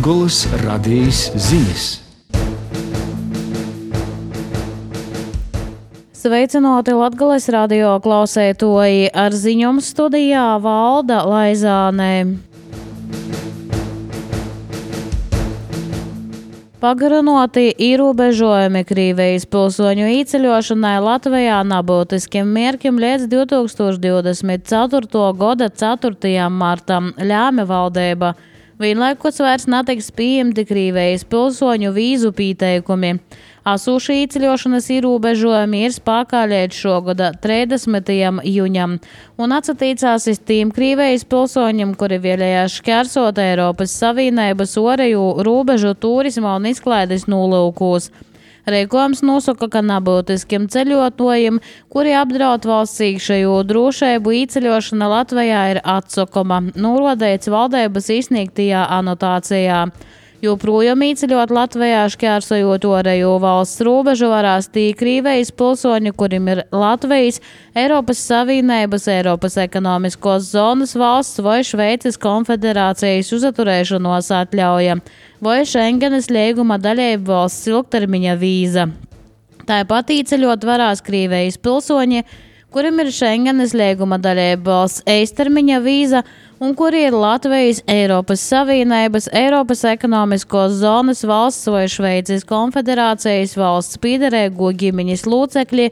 Latgolas radījis ziņas. Sveicināti Latgales radio klausētoji, ar ziņām studijā Valda Laizāne. Pagarinoti ierobežojumi Krievijas pilsoņu īceļošanai Latvijā nebūtiskiem mērķiem līdz 2024. gada 4. martam ļāme valdība. Vienlaikus vairs netiks pieņemti Krievijas pilsoņu vīzu pieteikumi. Asūši īceļošanas ierobežojumi ir spēkā līdz šogada 30. jūņam un atsatīcās uz tiem Krievijas pilsoņiem, kuri vēlējās šķērsot Eiropas Savienības ārējo robežu turisma un izklaides nolūkos. Rīkojums nosaka, ka nebūtiskiem ceļotājiem, kuri apdraud valsts iekšējo drošību, īceļošana Latvijā ir atsakoma, norādīts valdības izsniegtajā anotācijā. Joprojām īceļot Latvijā šķērsojot ārējo valsts robežu varēs tie Krievijas pilsoņi, kuriem ir Latvijas, Eiropas Savienības, Eiropas ekonomiskos zonas valsts vai Šveices konfederācijas uzturēšanos atļauja vai Schengenes līguma dalību valsts ilgtermiņa vīza. Tāpat īceļot varēs Krievijas pilsoņi, kuriem ir Schengenes līguma dalību valsts īstermiņa vīza un kuri ir Latvijas, Eiropas Savienības, Eiropas ekonomiskos zonas valsts vai Šveices konfederācijas valsts piederēgo ģimeņas locekļi,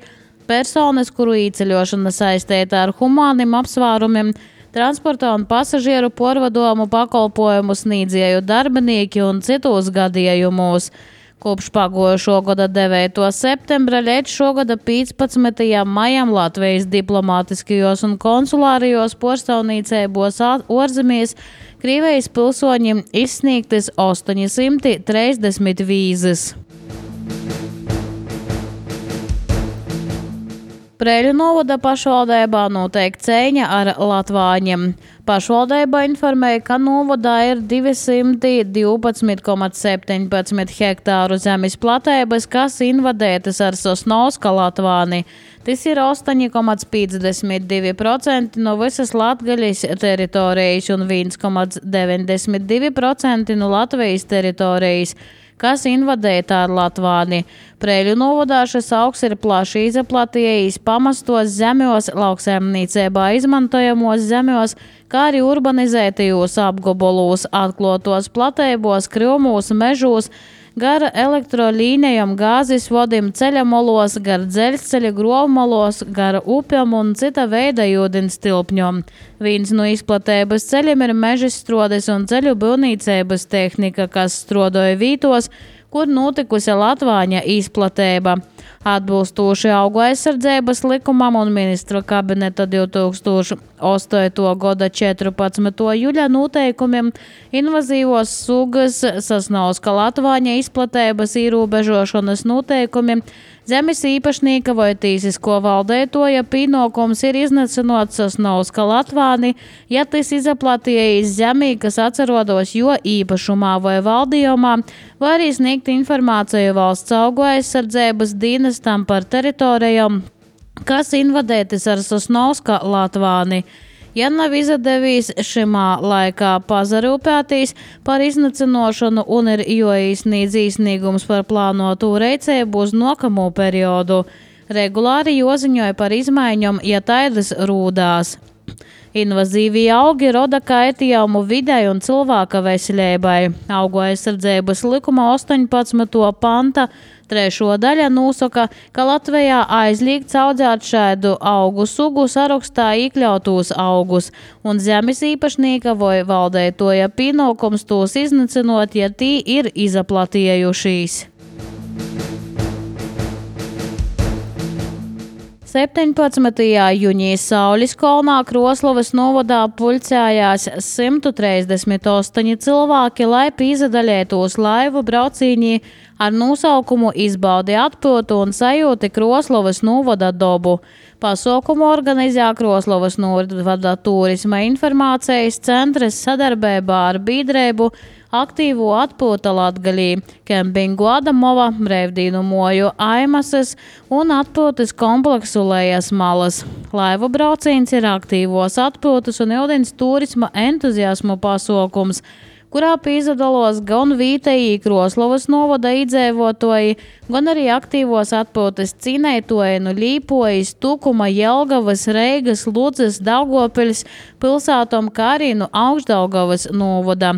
personas, kuru īceļošana saistīta ar humāniem apsvērumiem, transporta un pasažieru porvadomu pakalpojumu sniedzēju darbinieki un citos gadījumos. Kopš pagājušo gada 9. septembra līdz šogada 15. maijam Latvijas diplomātiskajos un konsulārijos porstāvniecībos ārzemēs Krievijas pilsoņiem izsniegtas 830 vīzas. Preiļu novada pašvaldībā notiek cīņa ar latvāņiem. Pašvaldība informēja, ka novadā ir 212,17 hektāru zemes platības, kas invadētas ar Sosnovska latvāni. Tas ir 8,52% no visas Latgaļas teritorijas un 1,92% no Latvijas teritorijas, kas invadēta ar latvāni. Preiļu novadā šis augs ir plaši izaplatījis pamastos zemjos, lauksaimniecībā izmantojamos zemjos, kā arī urbanizētajos apgabalos, atklotos platībos, krūmos, mežos, gar elektrolīnijām, gāzes vodim, ceļamolos, gar dzelzceļa grūvmolos, gar upjām un cita veida ūdens tilpņom. Viens no izplatības ceļiem ir mežas strodes un ceļu būvniecības tehnika, kas strodoja vītos, kur notikusi latvāņa izplatība. Atbilstoši augu aizsardzības likumam un ministra kabineta 2008. gada 14. jūļa noteikumiem invazīvos sugas Sosnovska latvāņa izplatības ierobežošanas noteikumi zemes īpašnieka vai tīsisko valdētoja pienākums ir iznacinot Sosnovska latvāni, ja tas izaplatījis zemī, kas atrodas jo īpašumā vai valdījumā, vai arī sniegt informāciju valsts augu aizsardzības dienestam par teritorijām, kas invadētas ar Sosnovska latvāni. Ja nav izdevies šimā laikā pazarūpētīs par iznacinošanu un ir joīsnīdz īsnīgums par plānotu reicēbu uz nokamo periodu, regulāri joziņoja par izmaiņom, ja taidas rūdās. Invazīvie augi roda kaitījumu videi un cilvēka veselībai. Augu aizsardzības likuma 18. panta 3. daļa nosaka, ka Latvijā aizliegts audzēt šādu augu sugu sarakstā iekļautos augus, un zemes īpašnieka vai valdētoja pienākums tos iznacinot, ja tī ir izaplatējušies. 17. jūņī Sauliskalnā Kroslavas novadā pulcējās 138 cilvēki, lai pīzadaļētos laivu braucīņī ar nosaukumu izbaudi atpūtu un sajūti Kroslavas novada dobu. Pasaukumu organizē Kroslavas novada turisma informācijas centrs sadarbībā ar biedrību aktīvo atpūta Latgalī, kempingu Adamova, brīvdīnu moju Aimasas un atpūtas kompleksu Lejas malas. Laivu brauciens ir aktīvos atpūtas un ūdens turisma entuziasmu pasaukums, kurā piedalās gan vietējie Kroslovas novada iedzīvotāji, gan arī aktīvos atpūtas cīnītāji no Līpojas, Tukuma, Jelgavas, Reigas, Ludzas, Daugavpils pilsētām, kā arī no Augšdaugavas novada.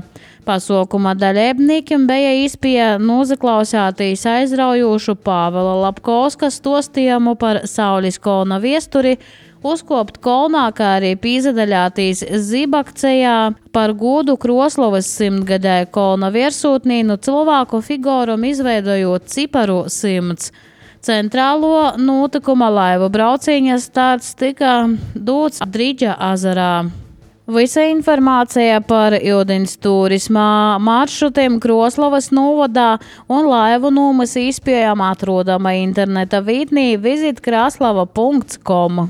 Pasākuma dalībniekiem bija iespēja noklausīties aizraujošu Pāvela Lapkovska stāstījumu par Saules kalna vēsturi, uzkopt kolnā, kā arī piedalīties zibakcijā par godu Kroslovas 100-gadēju kolna virsotnī no cilvēku figūram izveidojot ciparu 100. Centrālo notikuma laivu brauciņa starts tika dots Drīģa ezerā. Visa informācija par ūdens turisma maršrutiem Kroslovas novadā un laivu nomas iespējām atrodama interneta vietnē visitkraslava.com.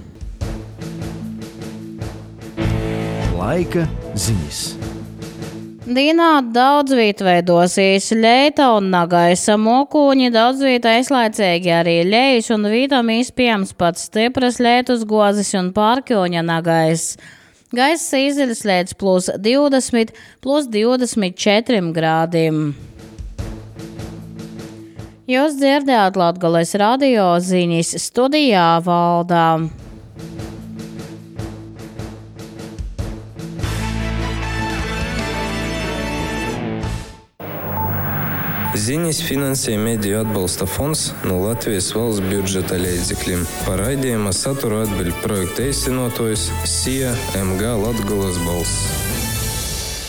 Laika ziņas. Dienā daudz viet veidosies leita un nagaisa mokuņi, daudz viet aizlaicīgi arī lejas un vītam iespējams pats stipras leitus gozes un pārkjoņa nagais. Gaiss izceļas līdz +20, +24 grādiem. Jūs dzirdējāt Latgales radio ziņas, studijā Valdā. Ziņas finansē Mediju atbalsta fonds no Latvijas valsts budžeta līdzekļiem. Par raidījuma saturu atbild projekta īstenotājs SIA MG Latgales balss.